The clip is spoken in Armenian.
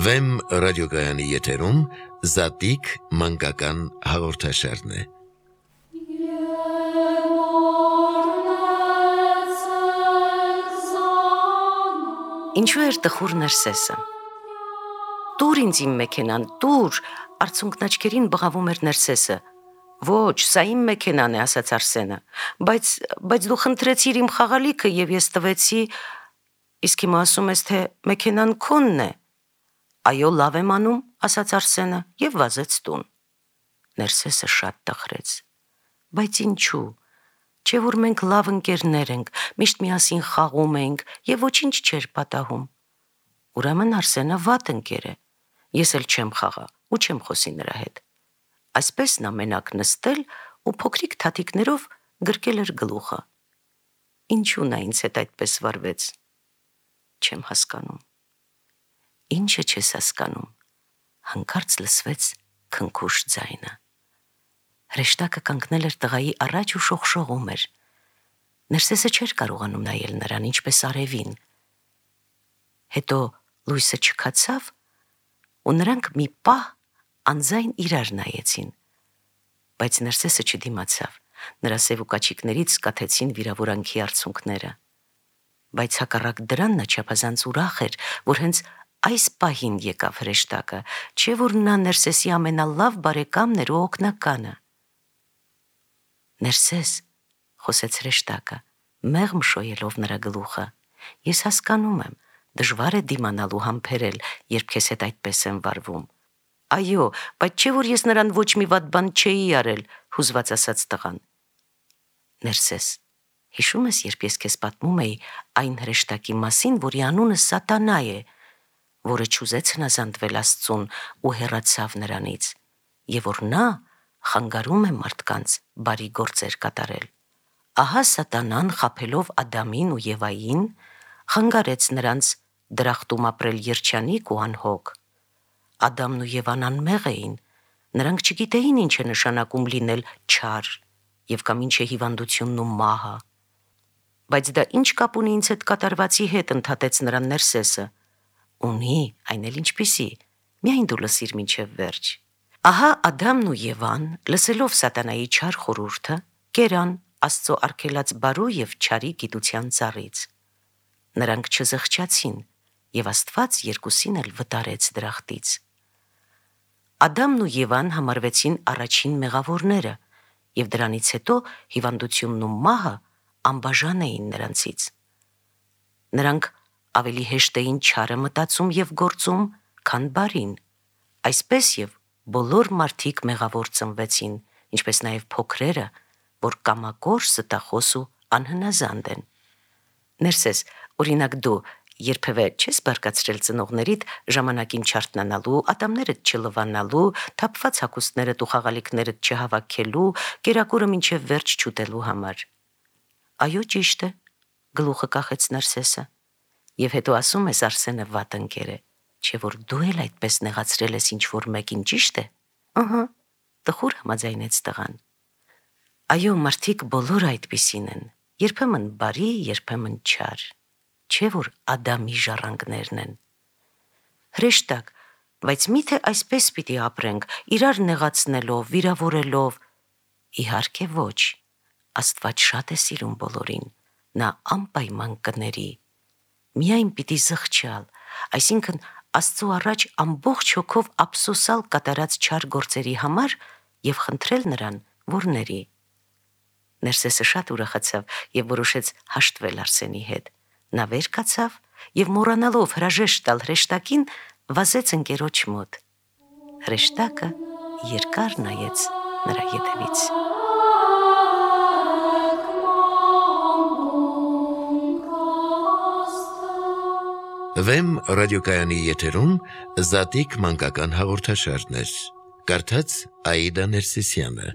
Վեմ ռադիոկայանի եթերում Զատիկ մանկական հաղորդաշարն է։ Ինչու էր տխուր Ներսեսը։ Տուր ինձ իմ մեքենան, տուր, արցունքն աչքերին բղավում էր Ներսեսը։ Ոչ, սա իմ մեքենան է, ասաց Արսենը, բայց դու խնդրեցիր իմ խաղալիքը եւ ես տվեցի, իսկ հիմա ասում ես, թե մեքենան քոնն է։ Այո, լավ եմ անում, ասաց Արսենը եւ վազեց տուն։ Ներսեսը շատ տխրեց։ Բայց ինչու։ Չէ որ մենք լավ ընկերներ ենք, միշտ միասին խաղում ենք եւ ոչինչ չէր պատահում։ Ուրեմն Արսենը վատ ընկեր է։ Ես էլ չեմ խաղա ու չեմ խոսի նրա հետ։ Այսպես նա մենակ նստել ու փոքրիկ թաթիկներով գրկել էր գլուխը։ Ինչու նա ինձ հետ այդպես վարվեց։ Չեմ հասկանում։ Ինչը չես հասկանում։ Հանկարծ լսվեց քնքուշ ձայնը։ Հրեշտակը կանգնել էր տղայի առաջ ու շողշողում էր։ Ներսեսը չէր կարողանում նայել նրան, ինչպես արևին։ Հետո լույսը չքացավ, ու նրանք մի պահ անձայն իրար նայեցին։ Բայց Ներսեսը չդիմացավ, նրա սև ու կաչիկներից կաթեցին վիրավորանքի արցունքները։ Բայց հակառակ դրան նա չափազանց ուրախ էր, որ հենց այս պահին եկավ հրեշտակը, չէ որ նա Ներսեսի ամենալավ բարեկամն էր ու օգնականը։ Ներսես, խոսեց հրեշտակը, մեղմ շոյելով նրա գլուխը, ես հասկանում եմ, դժվար է դիմանալ ու համբերել, երբ քեզ հետ այդպես են վարվում։ Այո, բայց չէ որ ես նրան ոչ մի վատ բան չէի արել, հուզված ասաց տղան։ Ներսես, հիշում ես, երբ ես քեզ պատմում էի այն հրեշտակի մասին, որի անունը Սատանա է, որը չուզեց հնազանդվել Աստծուն ու հեռացավ նրանից, եւ որ նա խանգարում է մարդկանց բարի գործեր կատարել։ Ահա Սատանան, խաբելով Ադամին ու Եվային, խանգարեց նրանց դրախտում ապրել երջանիկ ու անհոգ։ Ադամն ու Եվան անմեղ էին, նրանք չգիտեին ինչ է նշանակում լինել չար եւ կամ ինչ է հիվանդությունն ու մահը։ Բայց դա ինչ կապ ունի ինձ հետ կատարվածի հետ, ընդհատեց նրան Ներսեսը։ Ունի, այն էլ ինչպիսի, միայն դու լսիր մինչև վերջ։ Ահա Ադամն ու Եվան, լսելով Սատանայի չար խորհուրդը, կերան Աստծո արգելած բարու եւ չարի գիտության ծառից։ Նրանք չզղջացին, եւ Աստված երկուսին էլ վտարեց դրախտից։ Ադամն ու Եվան համարվեցին առաջին մեղավորները, եւ դրանից հետո հիվանդությունն ու մահը անբաժան էին նրանցից։ Նրանք ավելի հեշտ էին չարը մտածում եւ գործում, քան բարին։ Այսպես եւ բոլոր մարդիկ մեղավոր ծնվեցին, ինչպես նաեւ փոքրերը, որ կամակոր, ստախոս ու անհնազանդ են։ Ներսես, օրինակ դու երբևէ չես բարկացրել ծնողներիդ ժամանակին չարթնանալու, ատամներդ չլվանալու, թափված հագուստներդ ու խաղալիքներդ չհավաքելու, կերակուրը մինչև վերջ չուտելու համար։ Այո, ճիշտ է, գլուխը կախեց Ներսեսը։ Եվ հետո ասում ես Արսենը վատ ընկեր է, չէ որ դու էլ այդպես նեղացրել ես ինչ-որ մեկին, ճիշտ է։ Ահա, տխուր համաձայնեց տղան։ Այո, մարդիկ բոլորը այդպիսին են, երբեմն բարի, երբեմն չար, չէ որ Ադամի ժառանգներն են։ Հրեշտակ, բայց միթե այսպես պիտի ապրենք, իրար նեղացնելով, վիրավորելով։ Իհարկե ոչ, Աստված շատ է սիրում բոլորին, նա անպայման կների։ Միայն պիտի զղջալ, այսինքն Աստծո առաջ ամբողջ հոգով ափսոսալ կատարած չար գործերի համար եւ խնդրել նրան, որ ների։ Ներսեսը շատ ուրախացավ եւ որոշեց հաշտվել Արսենի հետ։ Նա վեր կացավ եւ մոռանալով հրաժեշտ տալ հրեշտակին, վազեց ընկերոջ մոտ։ Հրեշտակը երկար նայեց նրա ետևից։ Վեմ ռադիոկայանի եթերում Զատիկ մանկական հաղորդաշարն էր։ Կարդաց Աիդա Ներսիսյանը։